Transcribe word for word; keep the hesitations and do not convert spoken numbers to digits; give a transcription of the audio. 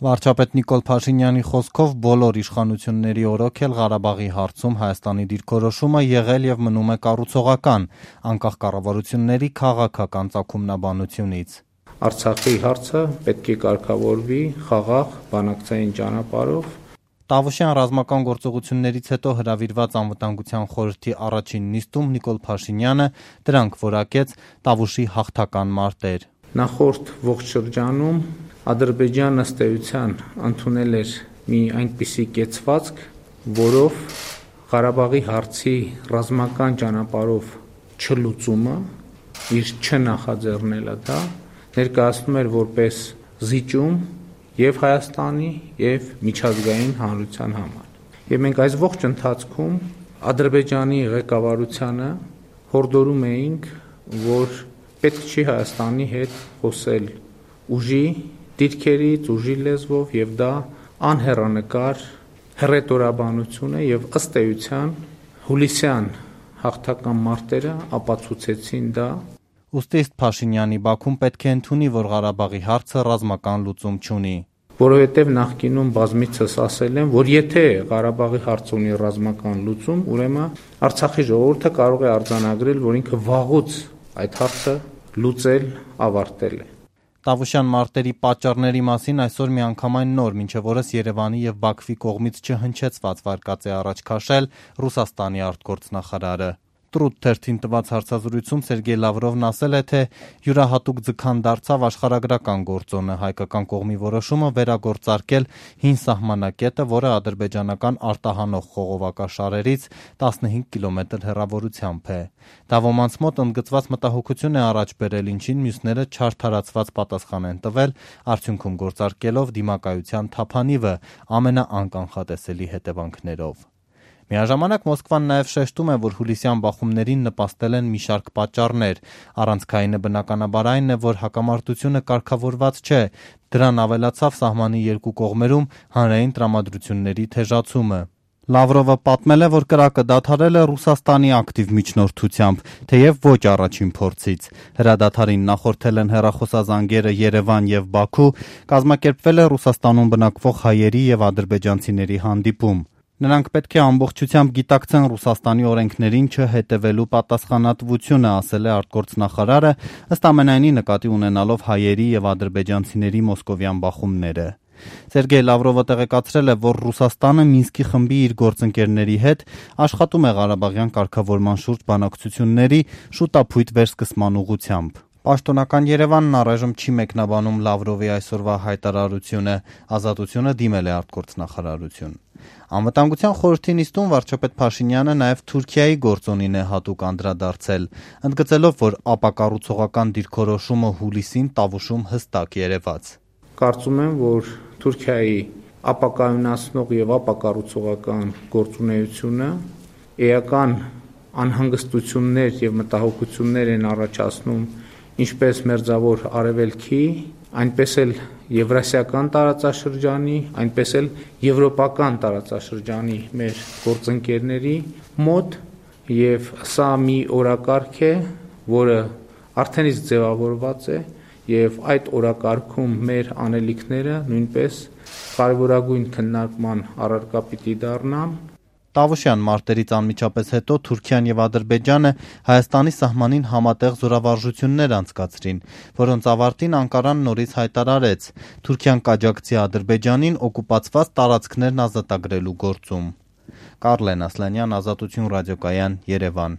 Վարչապետ Նիկոլ Փաշինյանի խոսքով բոլոր իշխանությունների օրոքել Ղարաբաղի հարցում Հայաստանի դիրքորոշումը եղել եւ մնում է կառուցողական, անկախ կառավարությունների քաղաքական ծագումնաբանությունից։ Արցախի հարցը պետք է կարգավորվի խաղաղ բանակցային ճանապարհով։ Տավուշյան ռազմական գործողություններից հետո հրավիրված անվտանգության խորհրդի առաջին նիստում Նիկոլ Փաշինյանը դրանք որակեց Տավուշի հաղթական մարտեր։ Նախորդ ողջ շրջանում Ադրբեջանը ըստ էության ընդունել էր մի այնպիսի կեցվածք, որով Ղարաբաղի հարցի ռազմական ճանապարհով չլուծումը, իր չնախաձեռնելը դա ներկայացնում էր որպես զիջում եւ Հայաստանի եւ միջազգային հանրության համար։ Եվ մենք այս ողջ ընթացքում Ադրբեջանի ղեկավարությանը հորդորում էինք, որ պետք չի Հայաստանի հետ խոսել ուժի դիրքերից, ուժի լեզվով եւ դա անհեռանկար հռետորաբանություն է եւ ըստ էության հուլիսյան հաղթական մարտերը ապացուցեցին դա։ Ուստի ըստ Փաշինյանի Բաքուն պետք է ընդունի, որ Ղարաբաղի հարցը ռազմական լուծում չունի։ Որովհետև նախկինում բազմիցս ասել եմ, որ եթե Ղարաբաղի հարցը ունի ռազմական լուծում, ուրեմն Արցախի ժողովուրդը կարող է արձանագրել, որ ինքը վաղուց այդ հարցը լուծել, ավարտել է։ Տավուշյան մարտերի պատճառների մասին այսօր միանգամայն նոր, մինչև օրս Երևանի եւ Բաքվի կողմից չհնչեցված վարկած է առաջ քաշել Ռուսաստանի արտգործնախարարը։ Տրուտ թերթին տված հարցազրույցում Սերգեյ Լավրովն ասել է, թե յուրահատուկ ձգան դարձավ աշխարհագրական գործոնը, հայկական կողմի որոշումը վերագործարկել հին սահմանակետը, որը ադրբեջանական արտահանող խողովակաշարերից տասնհինգ կիլոմետր հեռավորությամբ է։ Դա ոմանց մոտ ընդգծված մտահոգություն է առաջ բերել, ինչին մյուսները չարդարացված պատասխան են տվել, արդյունքում գործարկելով դիմակայության թափանիվը ամենաանկանխատեսելի հետևանքներով։ Միաժամանակ Մոսկվան նաև շեշտում է, որ հուլիսյան բախումներին նպաստել են մի շարք պատճառներ։ Առանցքայինը բնականաբար այն է, որ հակամարտությունը կարգավորված չէ, դրան ավելացավ սահմանի երկու կողմերում հանրային տրամադրությունների թեժացումը։ Լավրովը պատմել է, որ կրակը դադարել է Ռուսաստանի ակտիվ միջնորդությամբ, թեև ոչ առաջին փորձից։ Հրադադարին նախորդել են հեռախոսազանգերը Երևան եւ Բաքու, կազմակերպվել է Ռուսաստանում բնակվող հայերի եւ ադրբեջանցիների հանդիպում։ Նրանք պետք է ամբողջությամբ գիտակցեն Ռուսաստանի օրենքներին չհետևելու պատասխանատվությունը, ասել է արտգործնախարարը, ըստ ամենայնի նկատի ունենալով հայերի եւ ադրբեջանցիների մոսկովյան բախումները։ Սերգեյ Լավրովը տեղեկացրել է, որ Ռուսաստանը Մինսկի խմբի իր գործընկերների հետ աշխատում է Ղարաբաղյան կարգավորման շուրջ բանակցությունների շուտափույթ վերսկսման ուղղությամբ։ Պաշտոնական Երևանն առայժմ չի մեկնաբանում Լավրովի այսօրվա հայտարարությունը, Ազատությունը դիմել է արտգործնախարարություն։ Անվտանգության խորհրդի նիստում վարչապետ Փաշինյանը նաև Թուրքիայի գործոնին է հատուկ անդրադարձել, ընդգծելով, որ ապակառուցողական դիրքորոշումը հուլիսին Տավուշում հստակ երևաց։ Կարծում եմ, որ Թուրքիայի ապակայունացնող եւ ապակառուցողական գործունեությունը էական անհանգստություններ եւ մտահոգություններ են առաջացնում ինչպես մերձավոր արևելքի, այնպես էլ եվրասիական տարածաշրջանի, այնպես էլ եվրոպական տարածաշրջանի մեր գործընկերների մոտ եւ սա մի օրակարգ է, որը արդեն իսկ ձևավորված է եւ այդ օրակարգում մեր անելիքները նույնպես կարևորագույն քննարկման առարկա պիտի դառնան։ Տավուշյան մարտերից անմիջապես հետո Թուրքիան եւ Ադրբեջանը Հայաստանի սահմանին համատեղ զորավարժություններ անցկացրին, որոնց ավարտին Անկարան նորից հայտարարեց. Թուրքիան կաջակցի Ադրբեջանին օկուպացված տարածքներն ազատագրելու գործում։ Կարլեն Ասլանյան, Ազատություն ռադիոկայան, Երևան։